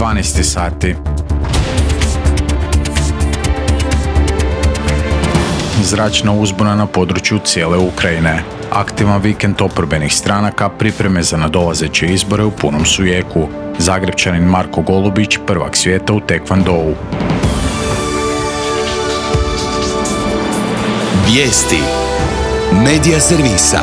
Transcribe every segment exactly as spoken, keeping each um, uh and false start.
dvanaest sati. Zračna uzbuna na području cijele Ukrajine. Aktivan vikend oporbenih stranaka, pripreme za nadolazeće izbore u punom su jeku. Zagrepčanin Marko Golubić, prvak svijeta u tekvondou. Vijesti Medija servisa.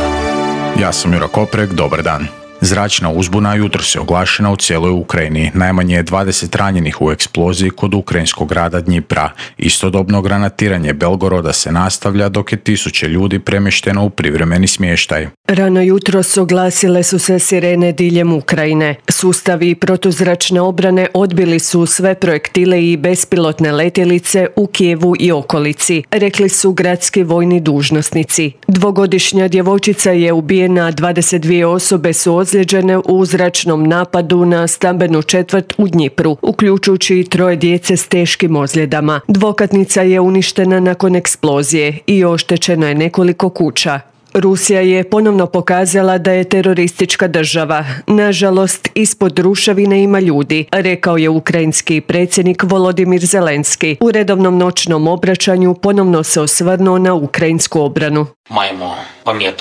Ja sam Jura Koprek, dobar dan. Zračna uzbuna jutros je oglašena u cijeloj Ukrajini. Najmanje je dvadeset ranjenih u eksploziji kod ukrajinskog grada Dnjipra. Istodobno granatiranje Belgoroda se nastavlja dok je tisuće ljudi premješteno u privremeni smještaj. Rano jutros oglasile su se sirene diljem Ukrajine. Sustavi protuzračne obrane odbili su sve projektile i bespilotne letjelice u Kijevu i okolici, rekli su gradski vojni dužnosnici. Dvogodišnja djevojčica je ubijena, dvadeset dvije osobe su ozlijeđene u zračnom napadu na stambenu četvrt u Dnjipru, uključujući i troje djece s teškim ozljedama. Dvokatnica je uništena nakon eksplozije i oštećeno je nekoliko kuća. Rusija je ponovno pokazala da je teroristička država. Nažalost, ispod ruševine ima ljudi, rekao je ukrajinski predsjednik Volodimir Zelenski. U redovnom noćnom obraćanju ponovno se osvrnuo na ukrajinsku obranu.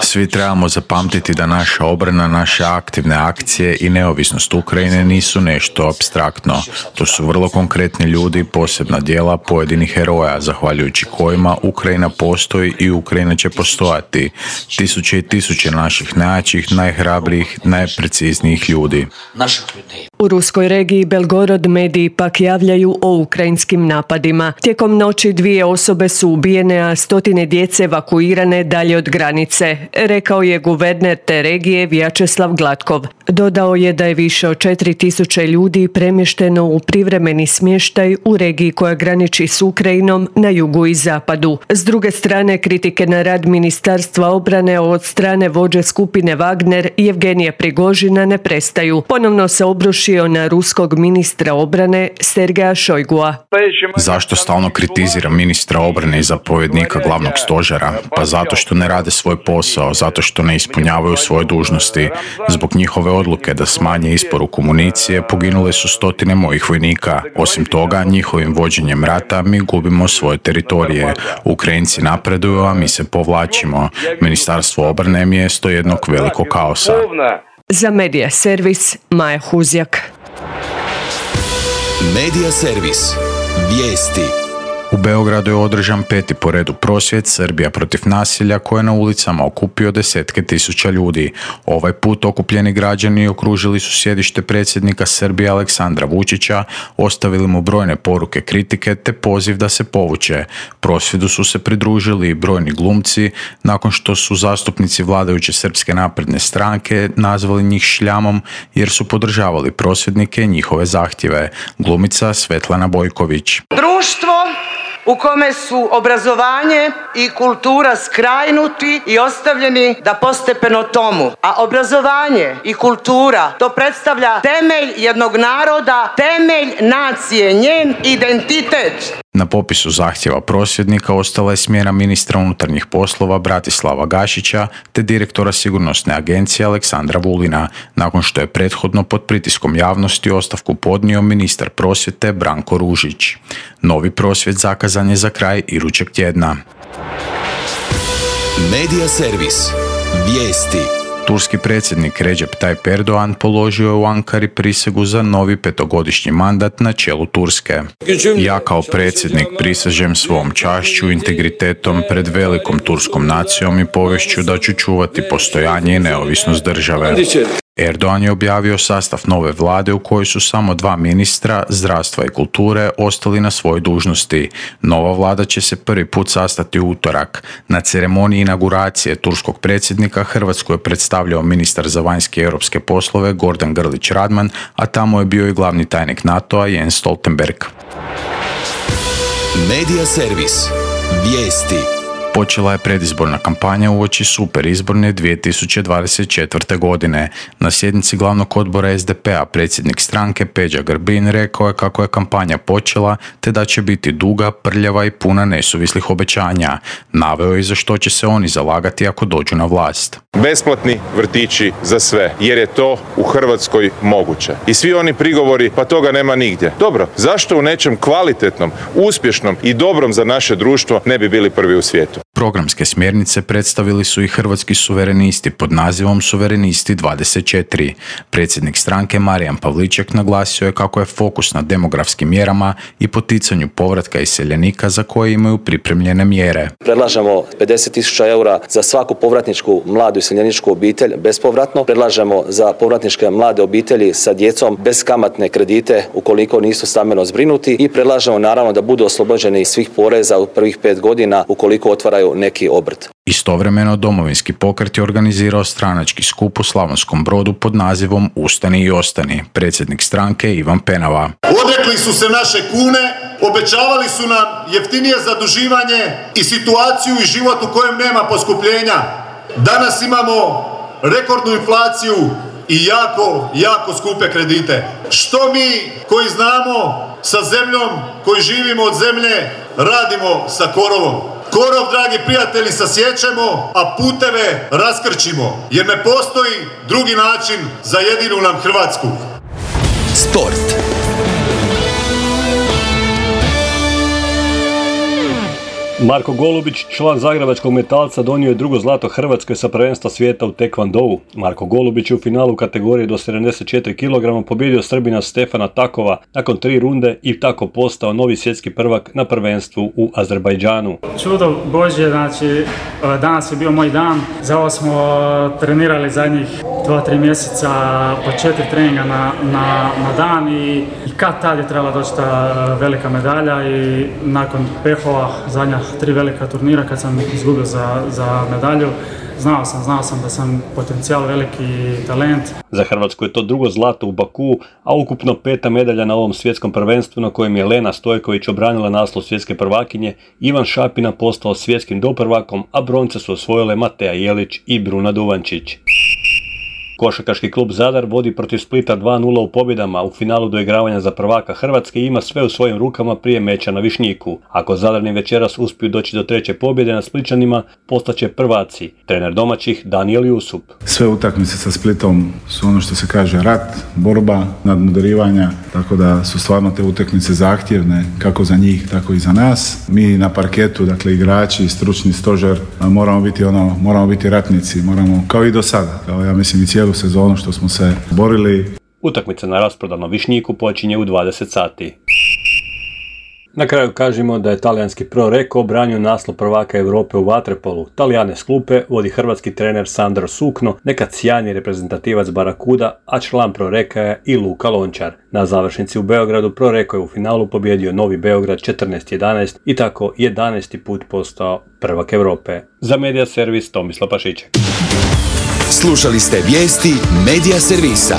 Svi trebamo zapamtiti da naša obrana, naše aktivne akcije i neovisnost Ukrajine nisu nešto apstraktno. To su vrlo konkretni ljudi, posebna djela pojedinih heroja, zahvaljujući kojima Ukrajina postoji i Ukrajina će postojati. Tisuće i tisuće naših najjačih, najhrabrijih, najpreciznijih ljudi. U ruskoj regiji Belgorod mediji pak javljaju o ukrajinskim napadima. Tijekom noći dvije osobe su ubijene, a stotine djece evakuirane dalje od granice, rekao je guverner te regije Vjačeslav Gladkov. Dodao je da je više od četiri tisuće ljudi premješteno u privremeni smještaj u regiji koja graniči s Ukrajinom na jugu i zapadu. S druge strane, kritike na rad Ministarstva obrane od strane vođe skupine Wagner Jevgenija Prigožina ne prestaju. Ponovno se obrušio na ruskog ministra obrane Sergeja Šojgua. Zašto stalno kritizira ministra obrane i zapovjednika glavnog stožera? Pa zato što ne rade svoj posao, zato što ne ispunjavaju svoje dužnosti. Zbog njihove odluke da smanje isporuku municije poginule su stotine mojih vojnika. Osim toga, njihovim vođenjem rata mi gubimo svoje teritorije. Ukrajinci napreduju, a mi se povlačimo. Ministarstvo obrane je mjesto jednog velikog kaosa. Za Medija servis Maja Huzjak. Medija servis. Vijesti. U Beogradu je održan peti po redu prosvjed Srbija protiv nasilja koje je na ulicama okupio desetke tisuća ljudi. Ovaj put okupljeni građani okružili su sjedište predsjednika Srbije Aleksandra Vučića, ostavili mu brojne poruke kritike te poziv da se povuče. Prosvjedu su se pridružili i brojni glumci nakon što su zastupnici vladajuće Srpske napredne stranke nazvali njih šljamom jer su podržavali prosvjednike i njihove zahtjeve. Glumica Svetlana Bojković. Društvo u kome su obrazovanje i kultura skrajnuti i ostavljeni da postepeno tomu. A obrazovanje i kultura, to predstavlja temelj jednog naroda, temelj nacije, njen identitet. Na popisu zahtjeva prosvjednika ostala je smjena ministra unutarnjih poslova Bratislava Gašića te direktora sigurnosne agencije Aleksandra Vulina, nakon što je prethodno pod pritiskom javnosti ostavku podnio ministar prosvjete Branko Ružić. Novi prosvjed zakazan je za kraj idućeg tjedna. Medija servis. Vijesti. Turski predsjednik Recep Tayyip Erdogan položio je u Ankari prisegu za novi petogodišnji mandat na čelu Turske. Ja kao predsjednik prisežem svom čašću, integritetom pred velikom turskom nacijom i povješću da ću čuvati postojanje i neovisnost države. Erdogan je objavio sastav nove vlade u kojoj su samo dva ministra, zdravstva i kulture, ostali na svojoj dužnosti. Nova vlada će se prvi put sastati u utorak. Na ceremoniji inauguracije turskog predsjednika Hrvatsku je predstavljao ministar za vanjske i europske poslove Gordan Grlić Radman, a tamo je bio i glavni tajnik NATO-a Jens Stoltenberg. Medija servis. Vijesti. Počela je predizborna kampanja uoči superizborne dvije tisuće dvadeset četvrte. godine. Na sjednici glavnog odbora es de pe a predsjednik stranke Peđa Grbin rekao je kako je kampanja počela te da će biti duga, prljava i puna nesuvislih obećanja. Naveo je za što će se oni zalagati ako dođu na vlast. Besplatni vrtići za sve, jer je to u Hrvatskoj moguće. I svi oni prigovori, pa toga nema nigdje. Dobro, zašto u nečem kvalitetnom, uspješnom i dobrom za naše društvo ne bi bili prvi u svijetu? Programske smjernice predstavili su i Hrvatski suverenisti pod nazivom Suverenisti dvadeset četiri. Predsjednik stranke Marijan Pavliček naglasio je kako je fokus na demografskim mjerama i poticanju povratka iseljenika za koje imaju pripremljene mjere. Predlažemo pedeset tisuća eura za svaku povratničku mladu iseljeničku obitelj bespovratno. Predlažemo za povratničke mlade obitelji sa djecom beskamatne kredite ukoliko nisu stambeno zbrinuti i predlažemo naravno da budu oslobođeni svih poreza u prvih pet godina ukoliko otvaraju neki obrt. Istovremeno Domovinski pokret je organizirao stranački skup u Slavonskom Brodu pod nazivom Ustani i ostani. Predsjednik stranke Ivan Penava. Odrekli su se naše kune, obećavali su nam jeftinije zaduživanje i situaciju i život u kojem nema poskupljenja. Danas imamo rekordnu inflaciju i jako, jako skupe kredite. Što mi koji znamo sa zemljom, koji živimo od zemlje, radimo sa korovom? Korov, dragi prijatelji, sasjećemo, a puteve raskrčimo, jer ne postoji drugi način za jedinu nam Hrvatsku. Sport. Marko Golubić, član zagrebačkog Metalca, donio je drugo zlato Hrvatskoj sa prvenstva svijeta u tekvondou. Marko Golubić je u finalu kategorije do sedamdeset četiri kilograma pobjedio Srbina Stefana Takova nakon tri runde i tako postao novi svjetski prvak na prvenstvu u Azerbajdžanu. Čudo Božje, znači danas je bio moj dan. Za ovo smo trenirali zadnjih dva tri mjeseca po četiri treninga na, na, na dan i, i kad tad je trebala doći ta velika medalja i nakon pehova zadnja tri velika turnira kad sam izgubio za, za medalju, znao sam, znao sam da sam potencijal veliki talent. Za Hrvatsku je to drugo zlato u Bakuu, a ukupno peta medalja na ovom svjetskom prvenstvu na kojem je Lena Stojković obranila naslov svjetske prvakinje, Ivan Šapina postao svjetskim doprvakom, a bronce su osvojile Mateja Jelić i Bruna Duvančić. Košarkaški klub Zadar vodi protiv Splita dva nula u pobjedama u finalu doigravanja za prvaka Hrvatske i ima sve u svojim rukama prije meča na Višnjiku. Ako Zadarni večeras uspiju doći do treće pobjede na Splićanima, postaće prvaci. Trener domaćih Danijel Jusup. Sve utakmice sa Splitom su ono što se kaže rat, borba, nadmudarivanja, tako da su stvarno te utakmice zahtjevne kako za njih, tako i za nas. Mi na parketu, dakle igrači, stručni stožer, moramo biti ono, moramo biti ratnici, moramo kao i do sada, kao ja mislim i cijelu sezonu što smo se borili. Utakmica na rasprodanom Višnjiku počinje u dvadeset sati. Na kraju kažemo da je talijanski Pro Recco obranio naslov prvaka Europe u vaterpolu. Talijane s klupe vodi hrvatski trener Sandro Sukno, nekad sjajni reprezentativac Barakuda, a član Pro Recca je i Luka Lončar. Na završnici u Beogradu Pro Recco je u finalu pobjedio Novi Beograd četrnaest jedanaest i tako jedanaesti put postao prvak Europe. Za Medija Servis Tomislav Pašićek. Slušali ste vijesti Medija Servisa.